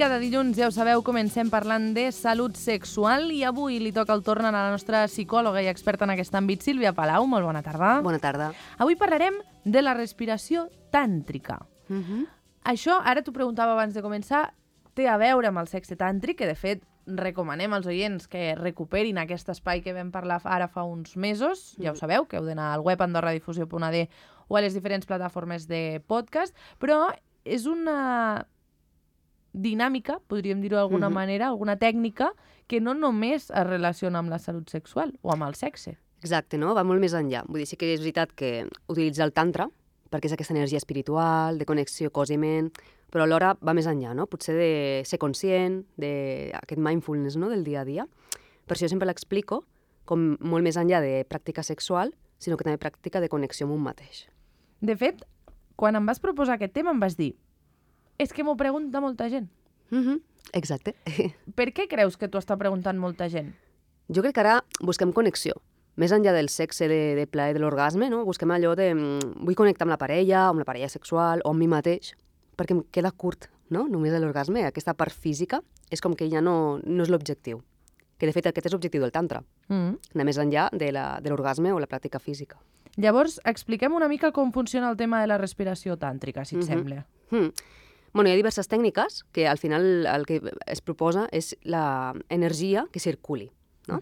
cada dilluns, ja ho sabeu, comencem parlant de salut sexual i avui li toca el torn a la nostra psicòloga i experta en aquest àmbit, Sílvia Palau. Molt bona tarda. Bona tarda. Avui parlarem de la respiració tàntrica. Això, ara t'ho preguntava abans de començar, té a veure amb el sexe tàntric, que de fet recomanem als oients que recuperin aquest espai que vam parlar ara fa uns mesos. Ja ho sabeu, que heu d'anar al web andorradifusió.d o a les diferents plataformes de podcast, però és una dinàmica, podríem dir-ho d'alguna manera, alguna tècnica que no només es relaciona amb la salut sexual o amb el sexe. Exacte, no? Va molt més enllà. Vull dir, sí que és veritat que utilitza el tantra, perquè és aquesta energia espiritual, de connexió cos i ment, però alhora va més enllà, no? Potser de ser conscient d'aquest mindfulness, no?, del dia a dia. Per això sempre l'explico com molt més enllà de pràctica sexual, sinó que també pràctica de connexió amb un mateix. De fet, quan em vas proposar aquest tema em vas dir és que m'ho pregunta molta gent. Exacte. Per què creus que t'ho està preguntant molta gent? Jo crec que ara busquem connexió. Més enllà del sexe, de plaer, de l'orgasme, no? Busquem allò de vull connectar amb la parella sexual o amb mi mateix, perquè em queda curt, no? Només l'orgasme, aquesta part física, és com que ja no és l'objectiu. Que de fet aquest és l'objectiu del tantra, anar més enllà de l'orgasme o la pràctica física. Llavors, expliquem una mica com funciona el tema de la respiració tàntrica, si et sembla. Bueno, hi ha diverses tècniques que al final el que es proposa és l'energia que circuli, no?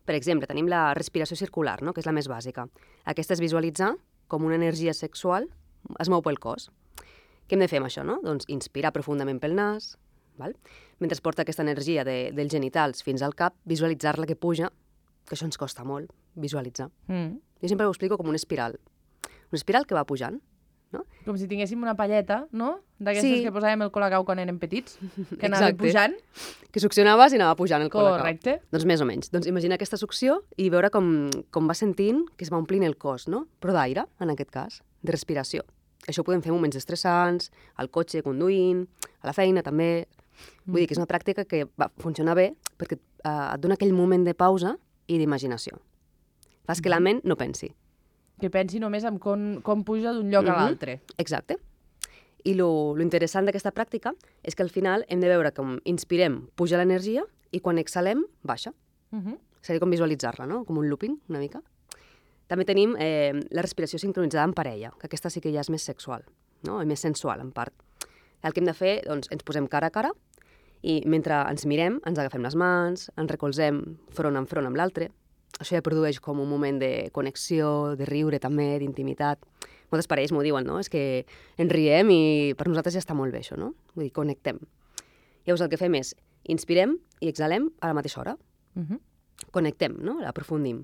Per exemple, tenim la respiració circular, no?, que és la més bàsica. Aquesta és visualitzar com una energia sexual es mou pel cos. Què hem de fer amb això, no? Doncs inspirar profundament pel nas, val? Mentre es porta aquesta energia dels genitals fins al cap, visualitzar-la que puja, que això ens costa molt, visualitzar. Jo sempre ho explico com una espiral que va pujant, no? Com si tinguéssim una palleta, no? D'aquestes que posàvem el colacau quan érem petits, que anava Exacte. pujant. Que succionaves i anava pujant el colacau. Correcte. Doncs més o menys. Doncs imagina aquesta succió i veure com va sentint que es va omplint el cos, no? Però d'aire, en aquest cas, de respiració. Això ho podem fer en moments estressants, al cotxe, conduint, a la feina també. Vull dir que és una pràctica que va funcionar bé perquè et dona aquell moment de pausa i d'imaginació. Fas que la ment no pensi. Que pensi només en com puja d'un lloc a l'altre. Exacte. I lo interessant d'aquesta pràctica és que al final hem de veure com inspirem, puja l'energia, i quan exhalem, baixa. Seria com visualitzar-la, no? Com un looping, una mica. També tenim la respiració sincronitzada en parella, que aquesta sí que ja és més sexual, no? I més sensual, en part. El que hem de fer, doncs, ens posem cara a cara i mentre ens mirem, ens agafem les mans, ens recolzem front amb l'altre. Això ja produeix com un moment de connexió, de riure també, d'intimitat. Moltes parelles m'ho diuen, no? És que ens riem i per nosaltres ja està molt bé això, no? Vull dir, connectem. Llavors el que fem és inspirem i exhalem a la mateixa hora. Connectem, no? Aprofundim.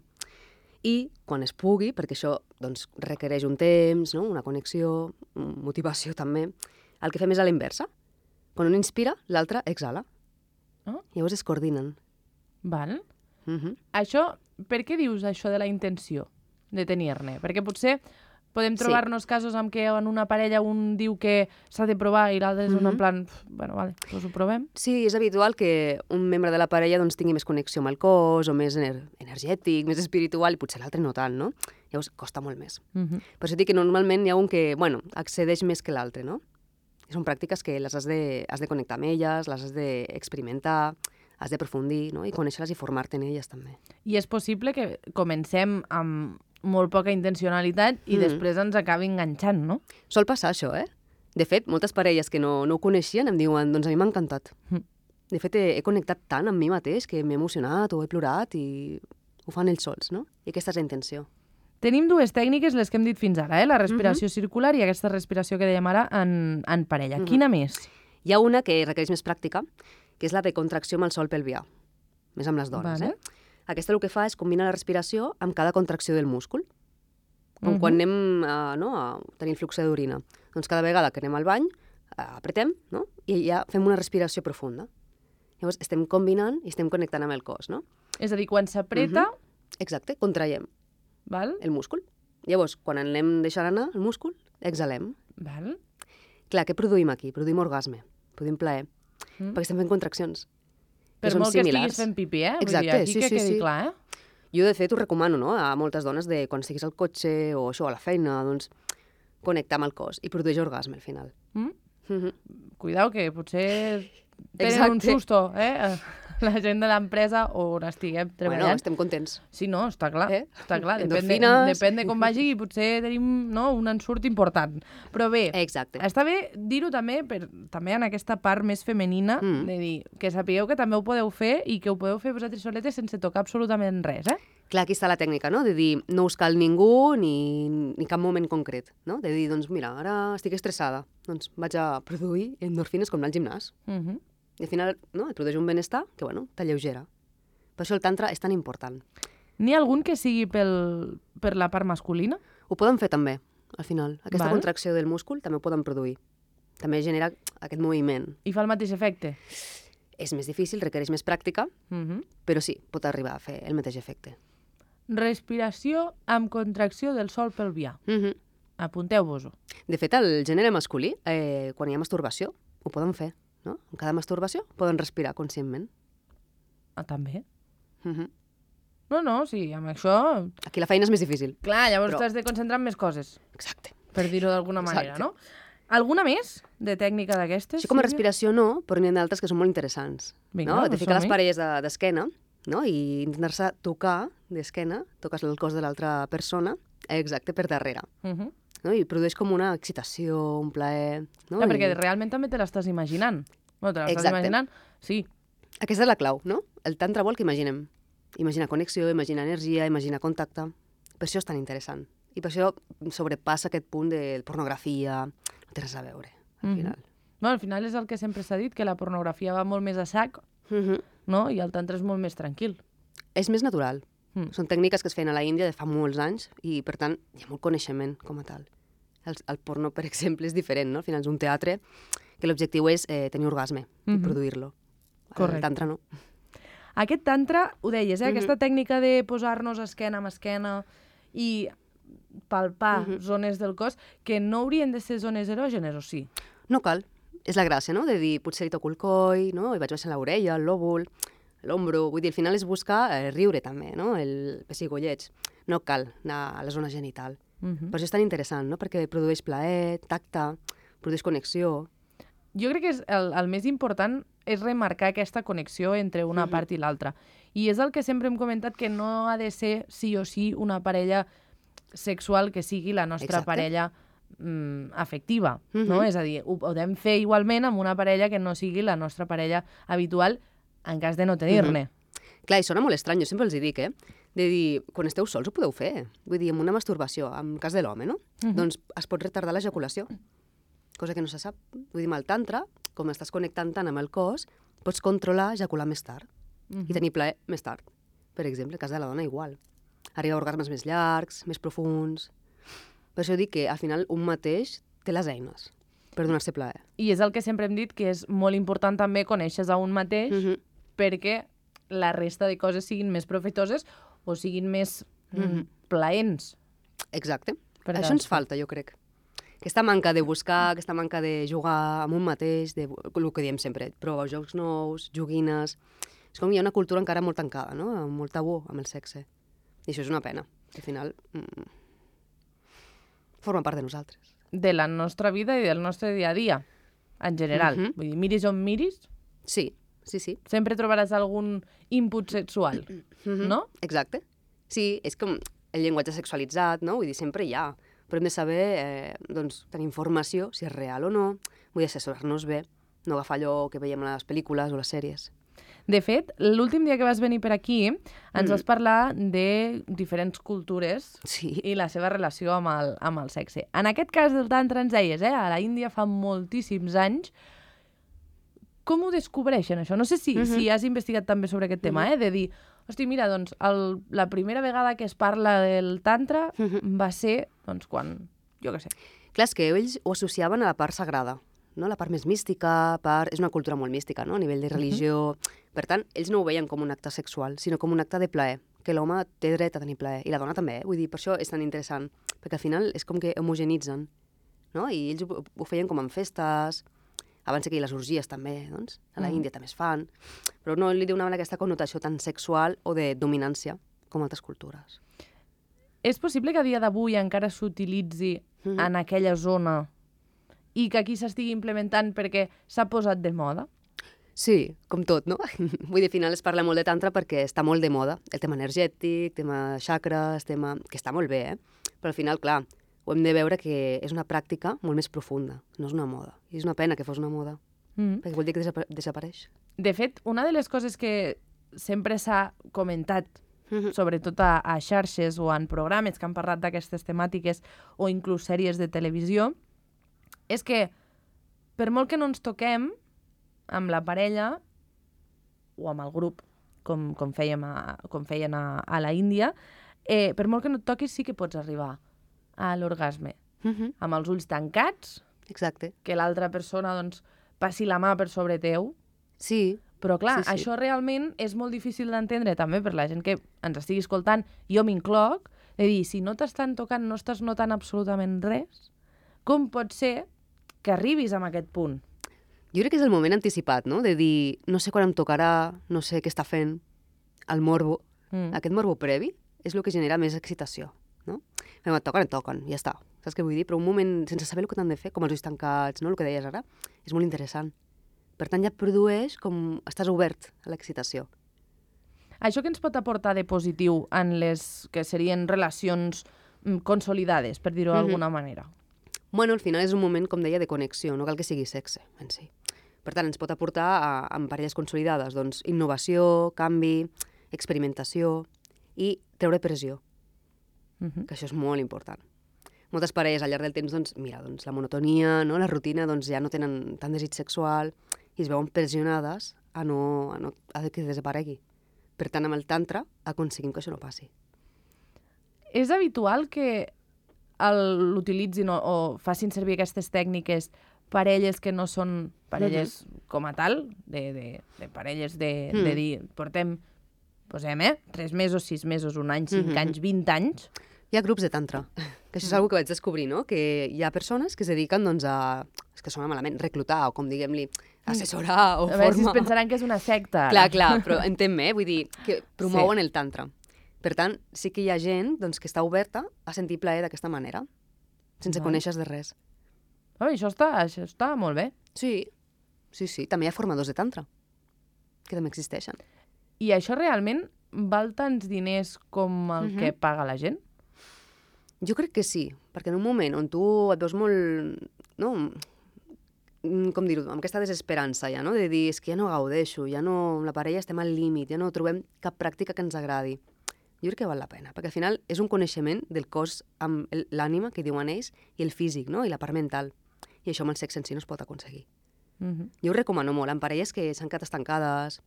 I quan es pugui, perquè això doncs, requereix un temps, no? Una connexió, motivació també, el que fem és a la inversa. Quan un inspira, l'altre exhala. Llavors es coordinen. Val. Això, per què dius això de la intenció de tenir-ne? Perquè potser podem trobar-nos casos en què en una parella un diu que s'ha de provar i l'altre és en plan, bueno, vale, doncs ho provem. Sí, és habitual que un membre de la parella doncs, tingui més connexió amb el cos o més energètic, més espiritual, i potser l'altre no tant, no? Llavors costa molt més. Per això dic que normalment hi ha un que, bueno, accedeix més que l'altre, no? Són pràctiques que les has de connectar amb elles, les has d'experimentar, has d'aprofundir, no? I conèixer-les i formar-te en elles també. I és possible que comencem amb molt poca intencionalitat i després ens acabi enganxant, no? Sol passar això, eh? De fet, moltes parelles que no ho coneixien em diuen, doncs a mi m'ha encantat. De fet, he connectat tant amb mi mateix que m'he emocionat o he plorat i ho fan ells sols, no? I aquesta és la intenció. Tenim dues tècniques, les que hem dit fins ara, la respiració circular i aquesta respiració que dèiem ara en parella. Quina més? Hi ha una que requereix més pràctica, que és la de contracció amb el sol pelvià, més amb les dones. Aquesta el que fa és combinar la respiració amb cada contracció del múscul. Com quan anem a tenir el flux d'orina. Doncs cada vegada que anem al bany, apretem, no? I ja fem una respiració profunda. Llavors estem combinant i estem connectant amb el cos, no? És a dir, quan s'apreta... Exacte, contraiem el múscul. Llavors, quan anem deixant anar el múscul, exhalem. Val. Clar, què produïm aquí? Produïm orgasme, produïm plaer, perquè estem fent contraccions. Per molt que estiguis fent pipí, Exacte, vull dir, aquí que quedi clar, Jo, de fet, ho recomano, no?, a moltes dones de quan estiguis al cotxe o això, a la feina, doncs, connectar amb el cos i produeix orgasme al final. Cuidao, que potser tenen un susto, la gent de l'empresa on estiguem treballant. Bueno, estem contents. Sí, no, està clar. Està clar. Endorfines. Depèn de com vagi i potser tenim un ensurt important. Però bé, està bé dir-ho també en aquesta part més femenina, de dir que sapigueu que també ho podeu fer i que ho podeu fer vosaltres soletes sense tocar absolutament res, Clar, aquí està la tècnica, no? De dir, no us cal ningú ni cap moment concret, no? De dir, doncs mira, ara estic estressada, doncs vaig a produir endorfines com anar al gimnàs. I al final, no? Et produeix un benestar que, bueno, t'alleugera. Per això el tantra és tan important. N'hi ha algun que sigui per la part masculina? Ho poden fer també, al final. Aquesta contracció del múscul també ho poden produir. També genera aquest moviment. I fa el mateix efecte? És més difícil, requereix més pràctica, però sí, pot arribar a fer el mateix efecte. Respiració amb contracció del sòl pelvià. Apunteu-vos-ho. De fet, el gènere masculí, quan hi ha masturbació, ho poden fer, no? En cada masturbació poden respirar conscientment. Ah, també? No, sí, amb això... Aquí la feina és més difícil. Clar, llavors t'has de concentrar en més coses. Exacte. Per dir-ho d'alguna manera, no? Alguna més de tècnica d'aquestes? Així com a respiració no, però n'hi ha d'altres que són molt interessants. Vinga, de ficar les parelles d'esquena, no? I intentar-se tocar d'esquena, toques el cos de l'altra persona, exacte, per darrere. No? I produeix com una excitació, un plaer... No? Perquè realment també te l'estàs imaginant. Bueno, te l'estàs imaginant, sí. Aquesta és la clau, no? El tantra vol que imaginem. Imaginar connexió, imaginar energia, imaginar contacte. Per això és tan interessant. I per això sobrepassa aquest punt de pornografia. No té res a veure, al final. No, al final és el que sempre s'ha dit, que la pornografia va molt més a sac, no? I el tantra és molt més tranquil. És més natural. Són tècniques que es feien a la Índia de fa molts anys i, per tant, hi ha molt coneixement com a tal. El porno, per exemple, és diferent, no? Al final és un teatre que l'objectiu és tenir orgasme i produir-lo. Correcte. El tantra no. Aquest tantra, ho deies, aquesta tècnica de posar-nos esquena amb esquena i palpar zones del cos, que no haurien de ser zones erògenes, o sí? No cal. És la gràcia, no? De dir, potser li toco el coll, no? I vaig baixant l'orella, el lòbul, l'ombro. Vull dir, al final és buscar riure també, no? El pessigolleig. No cal anar a la zona genital. Per això és tan interessant, no? Perquè produeix plaer, tacte, produeix connexió. Jo crec que el més important és remarcar aquesta connexió entre una part i l'altra. I és el que sempre hem comentat, que no ha de ser sí o sí una parella sexual que sigui la nostra parella afectiva, no? És a dir, ho podem fer igualment amb una parella que no sigui la nostra parella habitual en cas de no tenir-ne. Clar, i sona molt estrany, jo sempre els hi dic, de dir, quan esteu sols ho podeu fer. Vull dir, amb una masturbació, en cas de l'home, no? Doncs es pot retardar l'ejaculació, cosa que no se sap. Vull dir, amb el tantra, com estàs connectant tant amb el cos, pots controlar ejacular més tard i tenir plaer més tard. Per exemple, en cas de la dona, igual. Arriba a orgasmes més llargs, més profuns. Per això dic que, al final, un mateix té les eines per donar-se plaer. I és el que sempre hem dit, que és molt important també conèixer a un mateix perquè la resta de coses siguin més profitoses o siguin més plaents. Exacte. Això ens falta, jo crec. Aquesta manca de buscar, aquesta manca de jugar amb un mateix, el que diem sempre, provar jocs nous, joguines... És com hi ha una cultura encara molt tancada, no? Amb molt tabú amb el sexe. I això és una pena. Al final, forma part de nosaltres. De la nostra vida i del nostre dia a dia, en general. Vull dir, miris on miris... Sí. Sempre trobaràs algun input sexual, no? Exacte. Sí, és com el llenguatge sexualitzat, no? Vull dir, sempre hi ha. Però hem de saber, doncs, tenir informació, si és real o no, vull assessorar-nos bé, no agafar allò que veiem a les pel·lícules o les sèries. De fet, l'últim dia que vas venir per aquí ens vas parlar de diferents cultures i la seva relació amb el sexe. En aquest cas del tantra ens deies, a la Índia fa moltíssims anys. Com ho descobreixen, això? No sé si has investigat també sobre aquest tema, de dir, hosti, mira, doncs, la primera vegada que es parla del tantra va ser, doncs, quan, jo què sé. Clar, és que ells ho associaven a la part sagrada, no? La part més mística, és una cultura molt mística, no? A nivell de religió. Per tant, ells no ho veien com un acte sexual, sinó com un acte de plaer, que l'home té dret a tenir plaer, i la dona també, vull dir, per això és tan interessant, perquè al final és com que homogenitzen, no? I ells ho feien com en festes, abans que les orgies també, doncs, a la Índia també es fan, però no li donaven aquesta connotació tan sexual o de dominància com altres cultures. És possible que a dia d'avui encara s'utilitzi en aquella zona i que aquí s'estigui implementant perquè s'ha posat de moda? Sí, com tot, no? Vull dir, al final es parla molt de tantra perquè està molt de moda. El tema energètic, tema xacres, tema... que està molt bé, Però al final, clar, ho hem de veure que és una pràctica molt més profunda, no és una moda. I és una pena que fos una moda, perquè vol dir que desapareix. De fet, una de les coses que sempre s'ha comentat, sobretot a xarxes o en programes que han parlat d'aquestes temàtiques o inclús sèries de televisió, és que per molt que no ens toquem amb la parella o amb el grup, com feien a la Índia, per molt que no et toquis sí que pots arribar a l'orgasme. Amb els ulls tancats, Exacte. que l'altra persona doncs, passi la mà per sobre teu. Sí. Però clar, Sí. això realment és molt difícil d'entendre també per la gent que ens estigui escoltant, jo m'incloc, de dir, si no t'estan tocant, no estàs notant absolutament res, com pot ser que arribis a aquest punt? Jo crec que és el moment anticipat, no? De dir, no sé quan em tocarà, no sé què està fent, el morbo. Aquest morbo previ és el que genera més excitació, no? Em toquen, ja està. Saps què vull dir? Però un moment sense saber el que t'han de fer, com els ulls tancats, no? El que deies ara, és molt interessant. Per tant, ja produeix com... estàs obert a l'excitació. Això que ens pot aportar de positiu en les que serien relacions consolidades, per dir-ho d'alguna manera? Bueno, al final és un moment, com deia, de connexió, no cal que sigui sexe en si. Per tant, ens pot aportar en parelles consolidades doncs, innovació, canvi, experimentació i treure pressió, que això és molt important. Moltes parelles al llarg del temps, doncs, mira, doncs, la monotonia, no? La rutina, doncs, ja no tenen tant desig sexual i es veuen pressionades a que desaparegui. Per tant, amb el tantra aconseguim que això no passi. És habitual que l'utilitzin o facin servir aquestes tècniques parelles que no són parelles com a tal, de parelles de dir, posem, 3 mesos, 6 mesos, 1 any, 5 anys, 20 anys. Hi ha grups de tantra, que això és una cosa que vaig descobrir, no? Que hi ha persones que es dediquen doncs, a... És que sona malament, reclutar, o com diguem-li, assessorar o A veure si es formar... pensaran que és una secta. Ara. Clar, però entén-me, vull dir, que promouen el tantra. Per tant, sí que hi ha gent doncs, que està oberta a sentir plaer d'aquesta manera, sense conèixer de res. Això està molt bé. Sí. També hi ha formadors de tantra, que també existeixen. I això realment val tants diners com el que paga la gent? Jo crec que sí, perquè en un moment on tu et veus molt, no, com dir-ho, amb aquesta desesperança ja, no? De dir, és que ja no gaudeixo, ja no, amb la parella estem al límit, ja no trobem cap pràctica que ens agradi. Jo crec que val la pena, perquè al final és un coneixement del cos amb l'ànima, que diuen ells, i el físic, no? I la part mental. I això amb el sexe en si no es pot aconseguir. Jo ho recomano molt, amb parelles que s'han quedat estancades,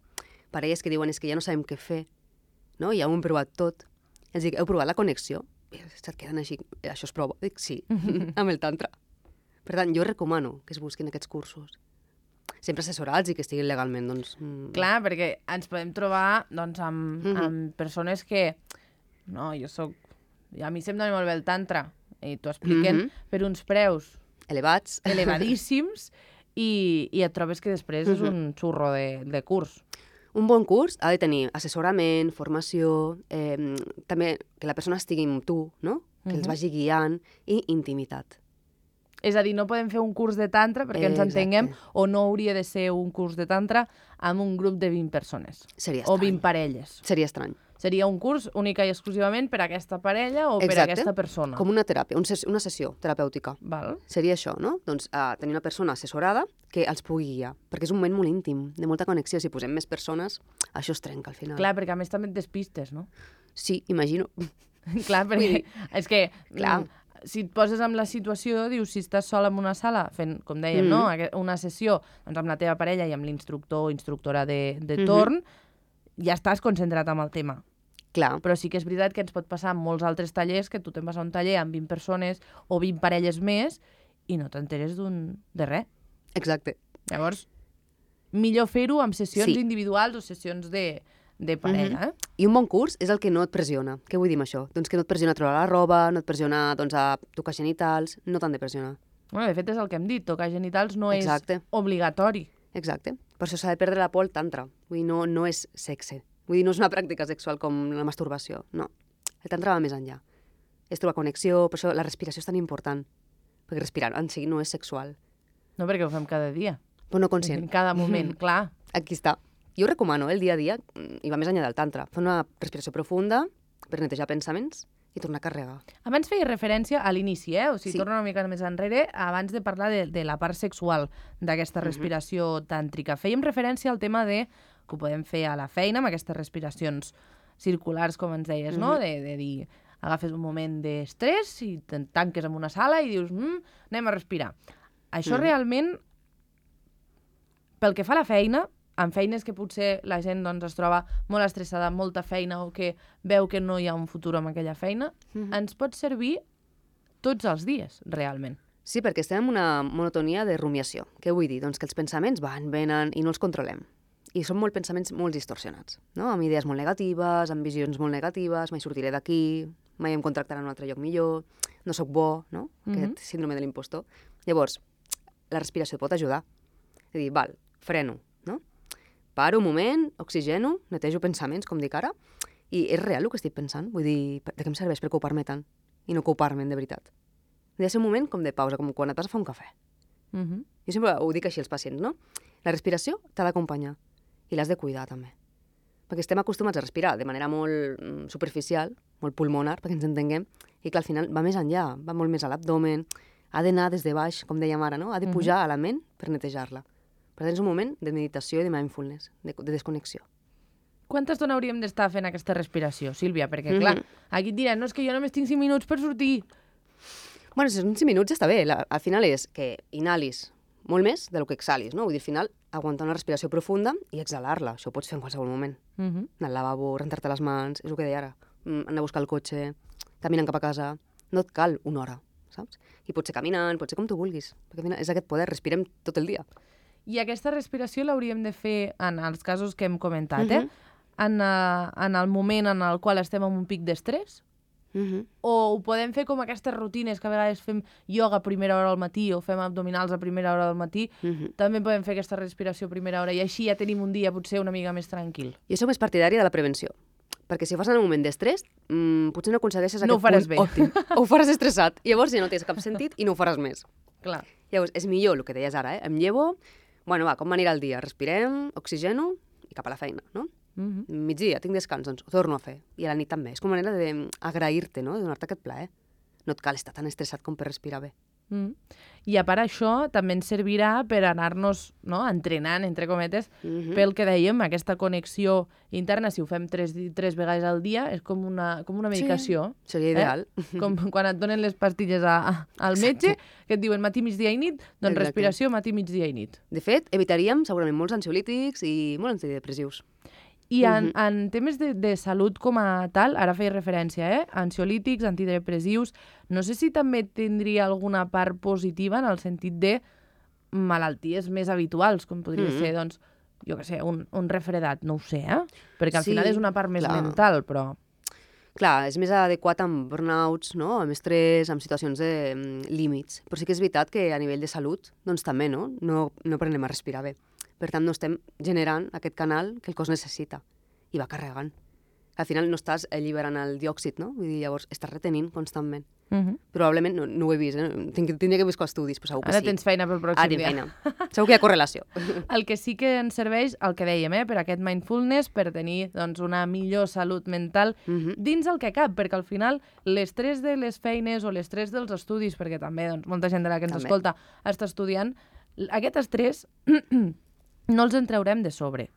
parelles que diuen és que ja no sabem què fer, no? Ja ho hem provat tot. Els dic, heu provat la connexió? I se't queden així, això es prova? Dic, sí, amb el tantra. Per tant, jo recomano que es busquin aquests cursos. Sempre assessorats i que estiguin legalment, doncs... Clar, perquè ens podem trobar doncs, amb persones que... No, a mi se'm dona molt bé el tantra, i t'ho expliquen per uns preus... Elevats. Elevadíssims, i et trobes que després és un xurro de curs. Un bon curs ha de tenir assessorament, formació, també que la persona estigui amb tu, no? Que els vagi guiant, i intimitat. És a dir, no podem fer un curs de tantra, perquè ens entenguem, o no hauria de ser un curs de tantra amb un grup de 20 persones. Seria estrany. O 20 parelles. Seria estrany. Seria un curs única i exclusivament per a aquesta parella o per a aquesta persona. Com una teràpia, una sessió terapèutica. Val. Seria això, no? Doncs tenir una persona assessorada que els pugui guiar, perquè és un moment molt íntim, de molta connexió. Si posem més persones, això es trenca al final. Clar, perquè a més també et despistes, no? Sí, imagino. Clar, perquè és que... Clar. Si et poses en la situació, dius, si estàs sol en una sala fent, com dèiem, no? Una sessió doncs, amb la teva parella i amb l'instructor o instructora de torn, ja estàs concentrat en el tema. Clar. Però sí que és veritat que ens pot passar amb molts altres tallers que tu te'n vas a un taller amb 20 persones o 20 parelles més i no t'enteres de res. Exacte. Llavors, millor fer-ho amb sessions individuals o sessions de parella. I un bon curs és el que no et pressiona. Què vull dir amb això? Doncs que no et pressiona a treure la roba, no et pressiona doncs, a tocar genitals, no t'han de pressionar. Bueno, de fet, és el que hem dit, tocar genitals no és obligatori. Exacte. Per això s'ha de perdre la por al tantra. Vull dir, no és sexe. Vull dir, no és una pràctica sexual com la masturbació. No. El tantra va més enllà. És trobar connexió, per això la respiració és tan important. Perquè respirar en si no és sexual. No, perquè ho fem cada dia. Però no conscient. En cada moment, clar. aquí està. Jo ho recomano, el dia a dia, i va més enllà del tantra. Fer una respiració profunda per netejar pensaments i tornar a carregar. Abans feia referència a l'inici, o sigui, Sí. torno una mica més enrere, abans de parlar de la part sexual d'aquesta respiració tàntrica. Fèiem referència al tema de que ho podem fer a la feina amb aquestes respiracions circulars, com ens deies, no? De dir, agafes un moment d'estrès i te'n tanques en una sala i dius, anem a respirar. Això realment, pel que fa a la feina, en feines que potser la gent doncs, es troba molt estressada, amb molta feina o que veu que no hi ha un futur amb aquella feina, ens pot servir tots els dies, realment. Sí, perquè estem en una monotonia de rumiació. Què vull dir? Doncs que els pensaments van, venen i no els controlem. I són pensaments molt distorsionats, no? Amb idees molt negatives, amb visions molt negatives, mai sortiré d'aquí, mai em contractaran en un altre lloc millor, no sóc bo, no? Aquest síndrome de l'impostor. Llavors, la respiració et pot ajudar. És a dir, val, freno, no? Paro un moment, oxigeno, netejo pensaments, com dic ara, i és real el que estic pensant. Vull dir, de què em serveix preocupar-me tant i no ocupar-me'n de veritat? Ha de ser un moment com de pausa, com quan et vas a fer un cafè. Jo sempre ho dic així als pacients, no? La respiració t'ha d'acompanyar i l'has de cuidar també. Perquè estem acostumats a respirar de manera molt superficial, molt pulmonar, perquè ens entenguem, i que al final va més enllà, va molt més a l'abdomen, ha d'anar des de baix, com dèiem ara, no? Ha de pujar a la ment per netejar-la. Per tant, és un moment de meditació i de mindfulness, de desconnexió. Quanta estona hauríem d'estar fent aquesta respiració, Sílvia? Perquè, clar, aquí et diran, no, és que jo només tinc 5 minuts per sortir. Bueno, si són 5 minuts ja està bé. Al final és que inhalis molt més del que exhalis, no? Vull dir, al final, aguantar una respiració profunda i exhalar-la. Això ho pots fer en qualsevol moment. Anar al lavabo, rentar-te les mans, és el que deia ara. Anar a buscar el cotxe, caminant cap a casa. No et cal una hora, saps? I pot ser caminant, pot ser com tu vulguis. Perquè al final és aquest poder, respirem tot el dia. I aquesta respiració l'hauríem de fer en els casos que hem comentat, en el moment en el qual estem en un pic d'estrès? O ho podem fer com aquestes rutines que a vegades fem ioga a primera hora al matí o fem abdominals a primera hora del matí, també podem fer aquesta respiració a primera hora i així ja tenim un dia potser una mica més tranquil. Jo soc més partidària de la prevenció, perquè si ho fas en un moment d'estrès, potser no aconsegueixes No ho faràs punt bé. òptim. O ho faràs estressat, i llavors ja no tens cap sentit i no ho faràs més. Clar. Llavors, és millor el que deies ara, em llevo, bueno, va, com m'anirà el dia? Respirem, oxigeno i cap a la feina, no? Migdia, tinc descans, doncs ho torno a fer. I a la nit també. És com una manera d'agrair-te, no? De donar-te aquest plaer. No et cal estar tan estressat com per respirar bé. I a part això també ens servirà per anar-nos entrenant, entre cometes, pel que dèiem, aquesta connexió interna. Si ho fem 3 vegades al dia, és com una medicació. Sí, seria ideal. Com quan et donen les pastilles al metge, que et diuen matí, migdia i nit, doncs respiració matí, migdia i nit. De fet, evitaríem segurament molts ansiolítics i molts antidepressius. I en temes de salut com a tal, ara feia referència, ansiolítics, antidepressius, no sé si també tindria alguna part positiva en el sentit de malalties més habituals, com podria ser, doncs, jo què sé, un refredat, no ho sé, perquè al final és una part més mental, però... Clar, és més adequat amb burnouts, no? Amb estrès, amb situacions de límits. Però sí que és veritat que a nivell de salut, doncs també, no? No aprenem a respirar bé. Per tant, no estem generant aquest canal que el cos necessita i va carregant. Al final no estàs alliberant el diòxid, no? Vull dir, llavors estàs retenint constantment. Probablement, no ho he vist, tindria que buscar estudis, però segur que sí. Ara tens feina pel pròxim dia. Tinc feina. Segur que hi ha correlació. El que sí que ens serveix, el que dèiem, per aquest mindfulness, per tenir doncs, una millor salut mental dins el que cap, perquè al final l'estrès de les feines o l'estrès dels estudis, perquè també doncs, molta gent de la que ens escolta està estudiant, aquest estrès no els en traurem de sobre.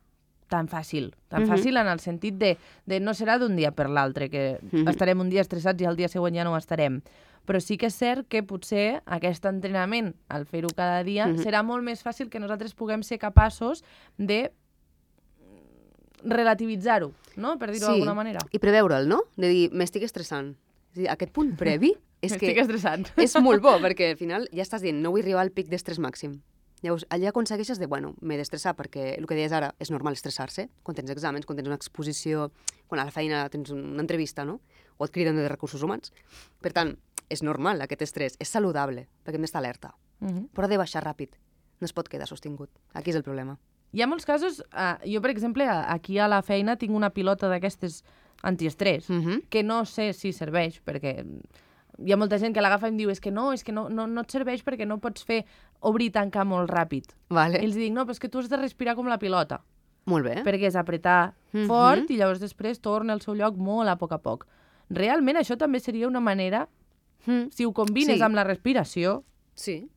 Tan fàcil en el sentit de no serà d'un dia per l'altre, que estarem un dia estressats i el dia següent ja no ho estarem. Però sí que és cert que potser aquest entrenament, al fer-ho cada dia, serà molt més fàcil que nosaltres puguem ser capaços de relativitzar-ho, no? Per dir-ho d'alguna manera. I preveure'l, no? De dir, m'estic estressant. És a dir, aquest punt previ és que m'estic estressant. És molt bo, perquè al final ja estàs dient, no vull arribar al pic d'estrès màxim. Llavors, allà aconsegueixes de, m'he d'estressar, perquè el que deies ara és normal estressar-se, quan tens exàmens, quan tens una exposició, quan a la feina tens una entrevista, no? O et criden de recursos humans. Per tant, és normal aquest estrès, és saludable, perquè hem d'estar alerta. Però ha de baixar ràpid, no es pot quedar sostingut. Aquí és el problema. Hi ha molts casos, jo per exemple, aquí a la feina tinc una pilota d'aquestes antiestrès, que no sé si serveix, perquè hi ha molta gent que l'agafa i em diu és que no et serveix perquè no pots fer obrir i tancar molt ràpid. Vale. I els dic, no, però és que tu has de respirar com la pilota. Molt bé. perquè és apretar fort i llavors després torna al seu lloc molt a poc. Realment això també seria una manera, si ho combines amb la respiració, sí.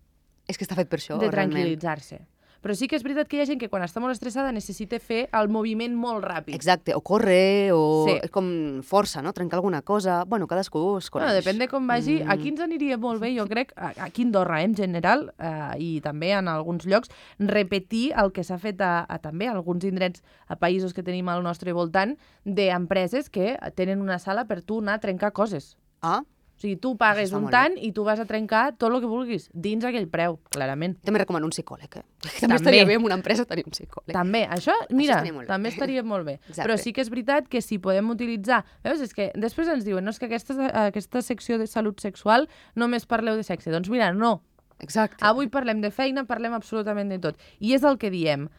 És que està fet per això, de realment. tranquil·litzar-se. Però sí que és veritat que hi ha gent que quan està molt estressada necessita fer el moviment molt ràpid. Exacte, o córrer, o com força, no? Trencar alguna cosa. Bueno, cadascú es coneix. Bueno, depèn de com vagi. Aquí ens aniria molt bé, jo crec, aquí a Andorra en general, i també en alguns llocs, repetir el que s'ha fet també a alguns indrets, a països que tenim al nostre voltant, d'empreses que tenen una sala per tu anar a trencar coses. Ah, O sigui, tu pagues un tant i tu vas a trencar tot el que vulguis, dins aquell preu, clarament. també recomano un psicòleg, També estaria bé en una empresa tenir un psicòleg. També, això, mira, també estaria molt bé. Exacte. Però sí que és veritat que si podem utilitzar... Veus, és que després ens diuen, no, és que aquesta secció de salut sexual només parleu de sexe. Doncs mira, no. Exacte. Avui parlem de feina, parlem absolutament de tot. I és el que diem.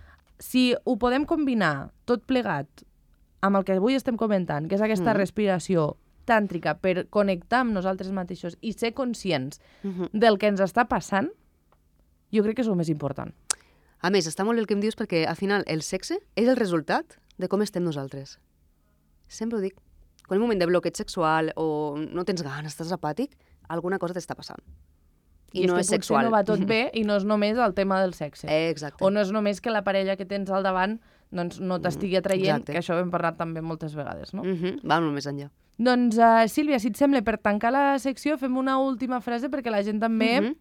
Si ho podem combinar tot plegat amb el que avui estem comentant, que és aquesta respiració tàntrica per connectar amb nosaltres mateixos i ser conscients del que ens està passant, jo crec que és el més important. A més, està molt bé el que em dius perquè, al final, el sexe és el resultat de com estem nosaltres. Sempre ho dic. Quan hi ha un moment de bloqueig sexual o no tens ganes, estàs apàtic, alguna cosa t'està passant. I no és sexual. No va tot bé i no és només el tema del sexe. Exacte. O no és només que la parella que tens al davant doncs, no t'estigui atraient, que això ho hem parlat també moltes vegades, no? Va molt més enllà. Doncs, Sílvia, si et sembla, per tancar la secció fem una última frase perquè la gent també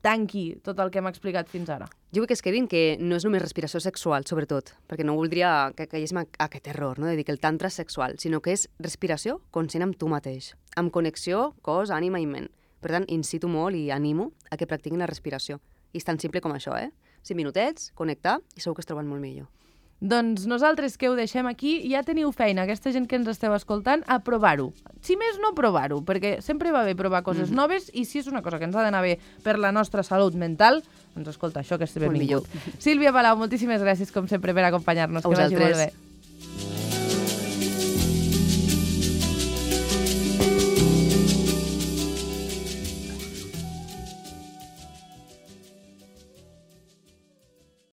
tanqui tot el que hem explicat fins ara. Jo vull que es quedin que no és només respiració sexual, sobretot, perquè no voldria que caiguéssim a aquest error, no? De dir que el tantra és sexual, sinó que és respiració conscient amb tu mateix, amb connexió cos, ànima i ment. Per tant, incito molt i animo a que practiquin la respiració. I és tan simple com això, 5 minutets, connectar, i segur que es troben molt millor. Doncs nosaltres que ho deixem aquí, ja teniu feina, aquesta gent que ens esteu escoltant, a provar-ho. Si més no, provar-ho, perquè sempre va bé provar coses noves i si és una cosa que ens ha d'anar bé per la nostra salut mental, doncs escolta, això que és benvingut. Sílvia Palau, moltíssimes gràcies com sempre per acompanyar-nos, que vagi molt bé.